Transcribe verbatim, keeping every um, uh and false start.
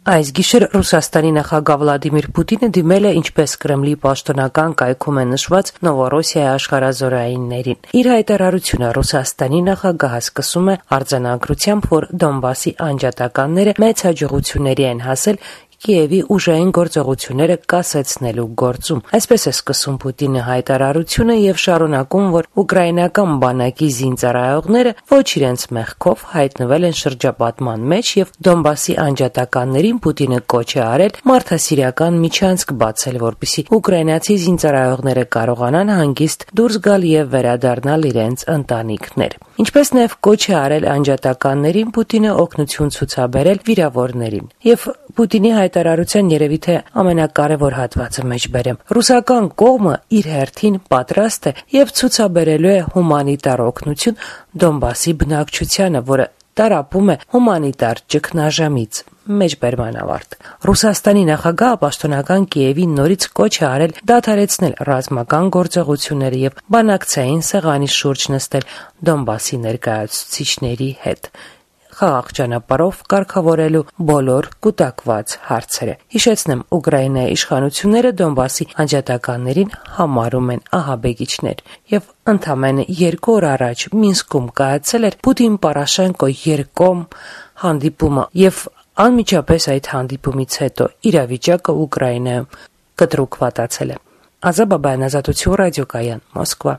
Այս գիշեր Ռուսաստանի նախագահ Վլադիմիր Պուտինը դիմել է ինչպես Կրեմլի պաշտոնական կայքում է նշված Նովորոսիայի աշխարհազորայիններին։ Իր հայտարարությունը Ռուսաստանի նախագահը սկսում է արձանագրությամբ, որ Դոնբասի անջատականները մեծ հաջողությունների են հասել Կիևի ուժային գործողությունները կասեցնելու գործում։ Այսպես է սկսում Պուտինը հայտարարությունը եւ շարունակում, որ ուկրաինական բանակի զինծառայողները ոչ իրենց մեղքով հայտնվել են շրջապատման մեջ եւ Դոնբասի անջատականներին Պուտինը կոչ է արել մարդասիրական միջանցք բացել, որպեսզի ուկրաինացի զինծառայողները կարողանան հանգիստ դուրս գալ եւ վերադառնալ իրենց ընտանիքներ։ Ինչպես նաեւ կոչ է արել անջատականներին Պուտինը օգնություն ցուցաբերել վիրավորներին։ Եվ Պուտինի հայտարարության երևի թե ամենակարևոր հատվածը մեջբերեմ։ Ռուսական կողմը իր հերթին պատրաստ է եւ ցուցաբերելու է հումանիտար օգնություն Դոնբասի բնակչությանը, որը տարապում է հումանիտար ճգնաժամից։ Մեջբերման ավարտ։ Ռուսաստանի նախագահը պաշտոնական Կիևին նորից կոչ է արել դադարեցնել ռազմական գործողությունները եւ բանակցային սեղանի շուրջ նստել Դոնբասի ներկայացուցիչների հետ, խաղաղ ճանապարհով կարգավորելու բոլոր կուտակված հարցերը։ Հիշեցնեմ, Ուկրաինայի իշխանությունները Դոնբասի անջատականներին համարում են ահաբեկիչներ եւ ընդամենը երկու օր առաջ Մինսկում կայացել էր Պուտին-Պորոշենկո երկկողմ հանդիպումը եւ անմիջապես այդ հանդիպումից հետո իրավիճակը Ուկրաինայում կտրուկ վատացել է։ Ազա Բաբայան, Ազատություն ռադիոկայան, Մոսկվա։